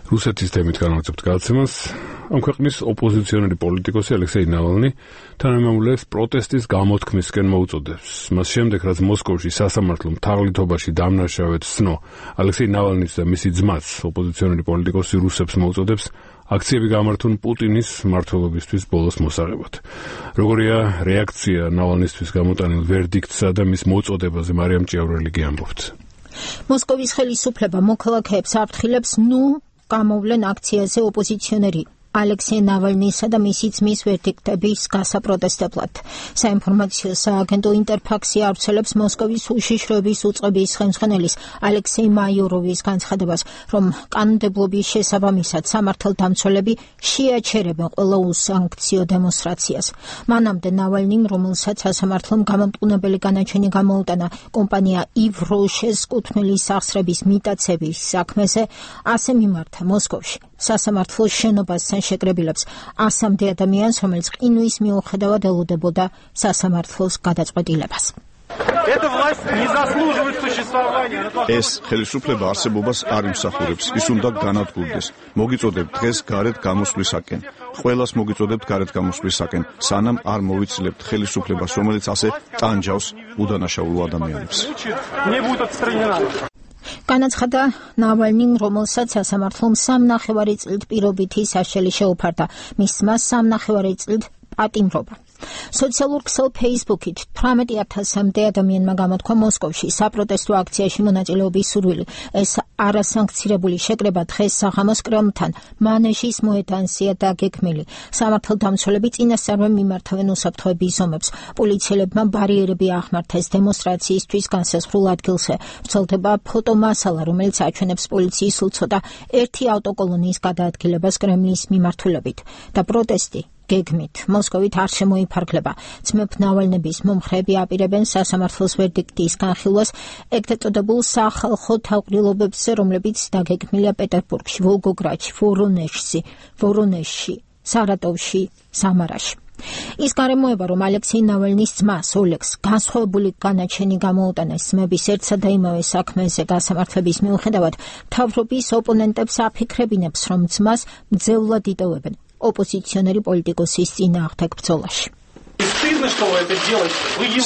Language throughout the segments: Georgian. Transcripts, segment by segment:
რუსეთის თემით განვაცებთ გადაცემას. ამ ქვეყნის ოპოზიციონერი პოლიტიკოსი ალექსეი ნავალნი თანამემამულეებს პროტესტის გამოთქმისკენ მოუწოდებს. მას შემდეგ, რაც მოსკოვში სასამართლომ თაღლითობაში დამნაშავედ ცნო ალექსეი ნავალნის და მისი ძმაც, ოპოზიციონერი პოლიტიკოსი რუსებს მოუწოდებს აქციები გამართონ პუტინის მმართველობისთვის ბოლოს მოსაღებად. როგორია რეაქცია ნავალნისთვის გამოტანილ ვერდიქტსა და მის მოწოდებაზე მარიამ ჭიავრელი ამბობთ. მოსკოვის ხელისუფლება მოქალაქეებს აფრთხილებს, გამოვლენ აქციაზე ოპოზიციონერი ალექსეი ნავალნისა და მისი ძმის ვერდიქტების გასაპროტესტებლად. საინფორმაციო სააგენტო ინტერფაქსი ავრცელებს მოსკოვის უშიშროების უწყების ხელმძღვანელის ალექსეი მაიოროვის განცხადებას, რომ კანონმდებლობის შესაბამისად სამართალდამცველები შეაჩერებენ ყველა უსანქციო დემონსტრაციას. მანამდე ნავალნიმ, რომელსაც სასამართლომ გამამტყუნებელი განაჩენი გამოუტანა კომპანია ივროშეს კუთვნილი სახსრების მიტაცების საქმეზე, ასე მიმართა მოსკოვში სასამართლოს შენობასთან შეკრებილებს 100-მდე ადამიანს, რომელიც ყინვის მიუხედავად ელოდებოდა სასამართლოს გადაწყვეტილებას. ეს ხელისუფლება არსებობას არ იმსახურებს, ის უნდა განადგურდეს. მოგიწოდებთ დღეს გარეთ გამოსვლისაკენ. ყველას მოგიწოდებთ გარეთ გამოსვლისაკენ, სანამ არ მოვიცლებთ ხელისუფლებას, რომელიც ასე ტანჯავს უდანაშაულო ადამიანებს. განაცხადა ნავალნიმ, რომელსაც სასამართლომ 3,5 წლით პირობითი საშელი შეუფარდა, მის ძმას 3,5 წლით პატიმრობა. სოციალურ ქსელ ფეისბუქით 18,000-მდე ადამიანმა გამოთქვა მოსკოვში საპროტესტო აქციაში მონაწილეობის სურვილი. ეს არასანქცირებული შეკრება დღეს საღამოს კრემლთან მანეჟის მოედანზეა დაგეგმილი. სამართალდამცველები წინასწარვე მიმართავენ უსაფრთხოების ზომებს. პოლიციელებმა ბარიერები აღმართეს დემონსტრაციისთვის განსაზღვრულ ადგილზე. ვრცელდება ფოტომასალა, რომელიც აჩვენებს პოლიციის სულ ცოტა ერთი ავტოკოლონის გადაადგილებას კრემლის მიმართულებით და პროტესტი გეგმით მოსკოვით არ შემოიფარგლება. ძმებ ნავალნების მომხრეები აპირებენ სასამართლოს ვერდიქტის განხილვას ეგრეთ წოდებულ სახალხო თავყრილობებზე, რომლებიც დაგეგმილია პეტერბურგში, ვოლგოგრადში, ვორონეჟში, სარატოვში, სამარაში. ის გარემოება, რომ ალექსეი ნავალნის ძმას ოლეგს განსხვავებული განაჩენი გამოუტანეს ძმების ერთსა და იმავე საქმეზე გასამართლების მიუხედავად, მთავრობის ოპონენტებს აფიქრებინებს, რომ ძმას მძევლად იტოვებენ ოპოზიციონერი პოლიტიკოსის წინააღმდეგ ბრძოლაში.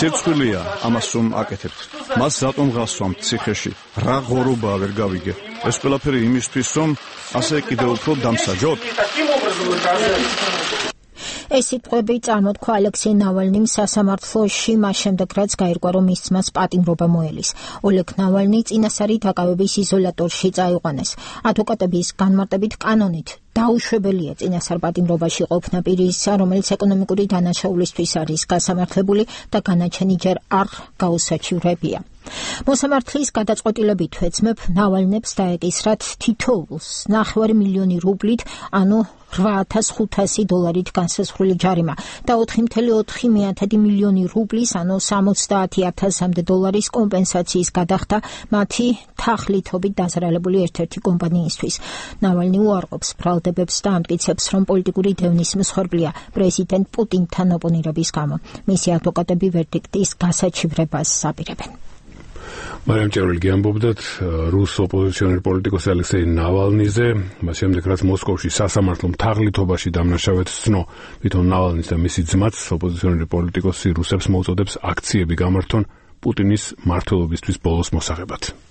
სირცხვილია ამას რომ აკეთებთ. მას რატომ გასვამთ ციხეში? რა ღორობაა ვერ გავიგე. ეს ყველაფერი იმისთვის, რომ ასე კიდევ უფრო დამსაჯოთ? ეს სიტყვები წარმოთქვა ალექსეი ნავალნიმ სასამართლოში მას შემდეგ, რაც გაირკვა, რომ მის ძმას პატიმრობა მოელის. ოლეგ ნავალნი წინასწარი დაკავების იზოლატორში წაიყვანეს. ადვოკატების განმარტებით კანონით დაუშვებელია წინასწარ პატიმრობაში ყოფნა პირისა, რომელიც ეკონომიკური დანაშაულისთვის არის გასამართლებული და განაჩენი ჯერ არ გაუსაჩივრებია. მოსამართლის გადაწყვეტილებით ძმებ ნავალნებს დაეკისრათ თითოეულს 9 მილიონი რუბლით, ანუ $8,500 განსაზღვრული ჯარიმა და 4,4 მილიონი რუბლის, ანუ $70,000 კომპენსაციის გადახდა მათი თაღლითობით დაზარალებული ერთ-ერთი კომპანიისთვის. ნავალნი უარყოფს ბრალდებებს და ამტკიცებს, რომ პოლიტიკური დევნის მსხვერპლია პრეზიდენტ პუტინთან ოპონირების გამო. მისი ადვოკატები ვერდიქტის გასაჩივრებას აპირებენ. მარიამ ჭიავრელი ამბობდათ რუს ოპოზიციონერ პოლიტიკოსი ალექსეი ნავალნიზე, მას შემდეგ, რაც მოსკოვში სასამართლომ თაღლითობაში დამნაშავედ ცნო თვითონ ნავალნის და მისი ძმაც, ოპოზიციონერი პოლიტიკოსი რუსებს მოუწოდებს აქციები გამართონ პუტინის მმართველობისთვის ბოლოს მოსაღებად.